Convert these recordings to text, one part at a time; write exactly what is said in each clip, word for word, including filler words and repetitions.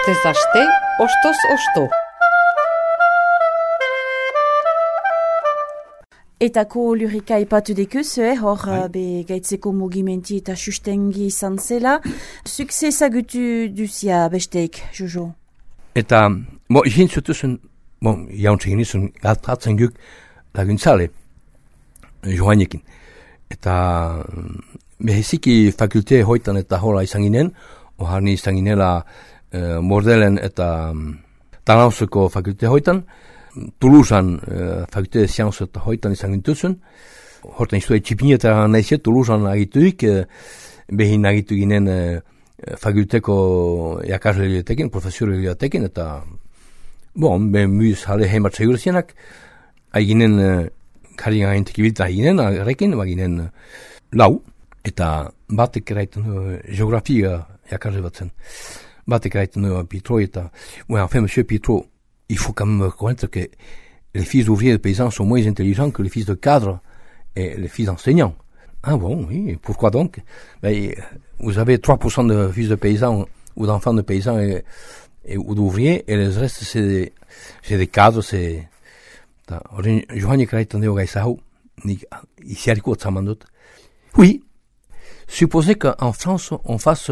Astez aste, ostoz osto. Etako lurika ipatu dekuz, eh, hor uh, be gaitzeko mugimenti eta sustengi izan zela. Zuk zezagutu duzia besteik, Jojo? Eta, bo, egin zutuzun, bo, jauntzegin izun, galtatzen guk laguntzale, joanekin. Eta, behiziki fakulte hoitan eta hola izan ginen, oharni izan ginela uh, Mordelen eta um, Tanauseko fakulte hoitan, Toulousean uh, fakulte de sciences eta hoitan izan gintuzun, hortan izue txipinetan nahize Toulousean agituik, uh, behin agitu ginen uh, fakulteko jakasle liatekin, profesore liatekin, eta, bon, ben muiz hale heimat segur zienak, aginen, uh, kari gaintik ibilta aginen, agarrekin, aginen uh, lau, eta batek eraiten uh, geografia jakasle batzen. Batek eraiten uh, Pitro eta, ouais, enfin, monsieur Pitro, il faut quand même reconnaître que les fils d'ouvriers de paysans sont moins intelligents que les fils de cadres et les fils d'enseignants. Ah bon, oui, pourquoi donc? Ben, vous avez trois pour cent de fils de paysans ou d'enfants de paysans et, et, ou d'ouvriers, et le reste, c'est des, c'est des cadres, c'est... Johanne Kraiten Deo Gaïsahou, ici à l'écoute, ça m'en doute. Oui, supposez qu'en France, on fasse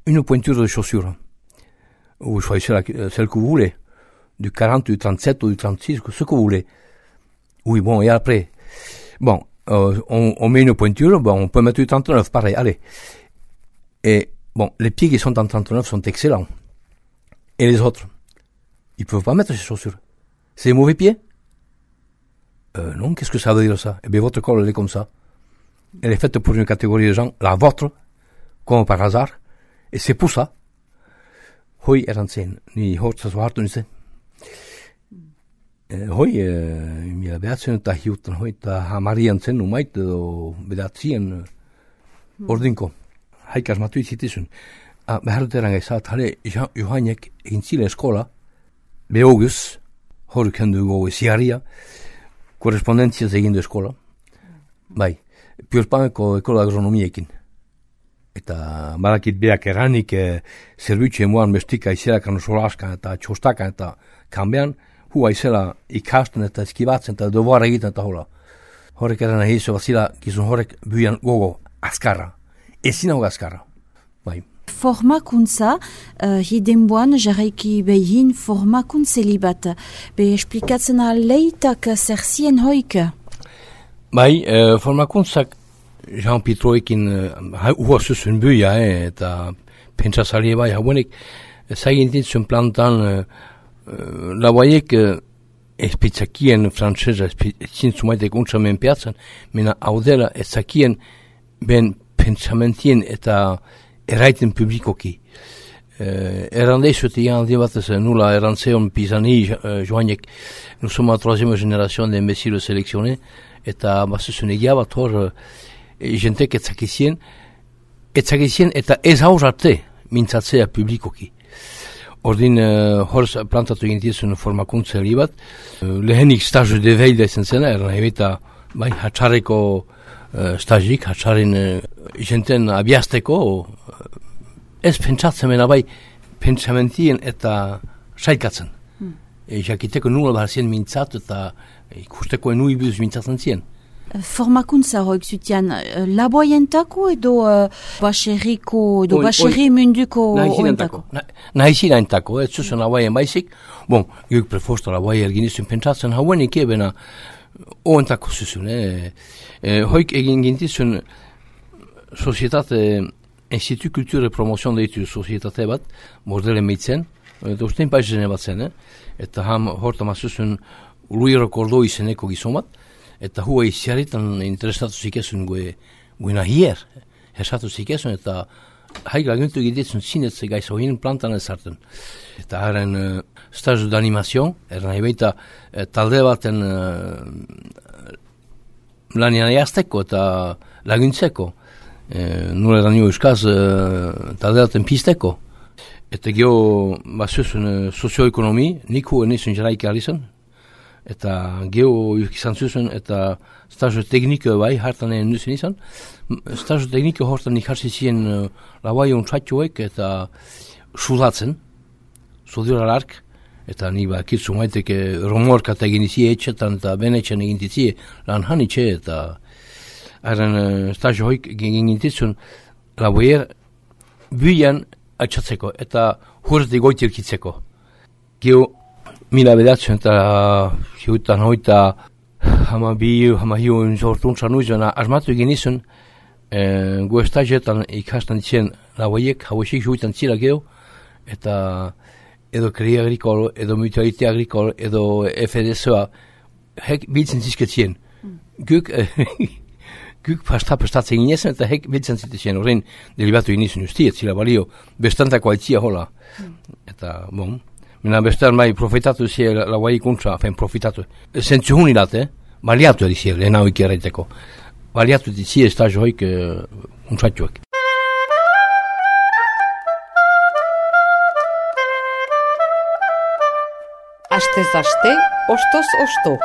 une pointure de chaussures. Vous choisissez la, celle que vous voulez. Du quarante, du trente-sept ou du trente-six, ce que vous voulez. Oui, bon, et après, bon, euh, on, on met une pointure, bon, on peut mettre du trente-neuf, pareil, allez. Et, bon, les pieds qui sont en trente-neuf sont excellents. Et les autres, ils peuvent pas mettre ces chaussures. C'est des mauvais pieds? Euh, non, qu'est-ce que ça veut dire ça? Eh bien, votre colle, elle est comme ça. Elle est faite pour une catégorie de gens, la vôtre, comme par hasard, et c'est pour ça. Hoi erantzen, ni hortzaz hartu nizen. Hoi, mila behatzen eta hiutan, hoi, eta hamarian zen umait, edo behatzien ordinko. Haikaz matu izitizun. Behar dut eran gaizat, hale, Johannek egin zile eskola, behoguz, hori kendu gogo ziarria, korrespondentziaz egin du eskola. Bai, piorpaneko ekola agronomiekin. Eta barakit beak eranik e, zerbitzu emuan bestika izelakan solaskan eta txostakan eta kanbean, hua izela ikasten eta eskibatzen eta devoir egiten eta hola. Horrek eran egizu bazila gizun horrek buian gogo azkarra. Ezin hau azkarra. Bai. Formakuntza, uh, hidenboan jarraiki behin formakuntzeli bat. Be esplikatzen aleitak zer zien hoik? Bai, uh, formakuntzak Jean Pitroekin hua zuzun buia, eh, eta pentsazali bai hauenek, zagintitzun plantan uh, uh, lauaiek uh, espitzakien frantzesa, espitzumaitek untsamen piatzan, mena haudela ezakien ben pentsamentien eta eraiten publikoki. Uh, Errandeizut egan aldi batez nula errantzeon Pisani uh, joanek, nous sommes la troisième génération d'imbéciles sélectionnés, eta bazuzun egia bat hor uh, jentek etzakizien, etzakizien eta ez haur arte mintzatzea publikoki. Ordin uh, hor plantatu egintizun formakuntza hori bat, uh, lehenik stazu de veille ezen zena, erran ebita bai, hatxareko uh, stazik, hatxaren uh, jenten abiazteko, uh, ez pentsatzen mena bai, pentsamentien eta saikatzen. Hmm. E, jakiteko nula behar zien mintzat eta ikusteko enui biduz mintzatzen zien. Formakuntza hoik zutian, laboientako edo uh, baserriko, edo baserri munduko oentako? Nahizina entako, ez zuzen laboien baizik. Bon, guk prefosto laboia erginizun pentsatzen hauenik ebena oentako zuzun. Eh? Eh, hoik egin gintizun sozietate, Institut Kultur e Promozion deitu sozietate bat, Mordelen meitzen, eta ustein paizene bat zen, eh? Eta ham horta mazuzun Luiro Kordo izeneko gizon bat, eta hua iziaritan interesatu zikesun gue, gue nahier, esatu zikesun, eta haik laguntu gidetzun zinetze gaiz hoin plantan ezarten. Eta haren uh, stazu d'animazion, erran ebeita uh, talde baten uh, lanian jazteko eta laguntzeko, uh, nure eran nio euskaz uh, talde baten pizteko. Eta geho bazuzun uh, sozioekonomi, nik hua nizun jaraik alizan, eta geho izan zuzun, eta stazu tekniko bai, hartan egin nuzin izan. Stazu tekniko hortan ikarsi ziren uh, labai ontratxoek eta sudatzen, zudiola lark, eta ni ba, kitzu maiteke romorka eta egin izie etxetan, eta benetxan egin dizie lan hanitxe, eta haren uh, stazio hoik egin gintizun, laboier, buian atxatzeko, eta hurti goitirkitzeko. Gio, mila bedatzen, eta hiutan hoita, hama bi, hama hiu, zortuntza nuizena, asmatu egin izun, eh, gu estazioetan ikastan ditzen laboiek, hauesik hiutan zira geho, eta edo Crédit Agricole, edo Mutualité Agricole, edo F D S A, hek biltzen zizketzien. Mm. Guk, guk pasta prestatzen ginezen, eta hek biltzen zitezien, horrein delibatu inizun justi, etzila balio, bestantako aitzia hola. Mm. Eta, bon, mena bestan bai profitatu zie lauai ikuntza, fen profitatu. Zentzu hunilat, eh? Baliatu edizie, lehen hau ikerreiteko. Baliatu edizie estazio hoik uh, untzatuak. Astez aste, ostoz osto.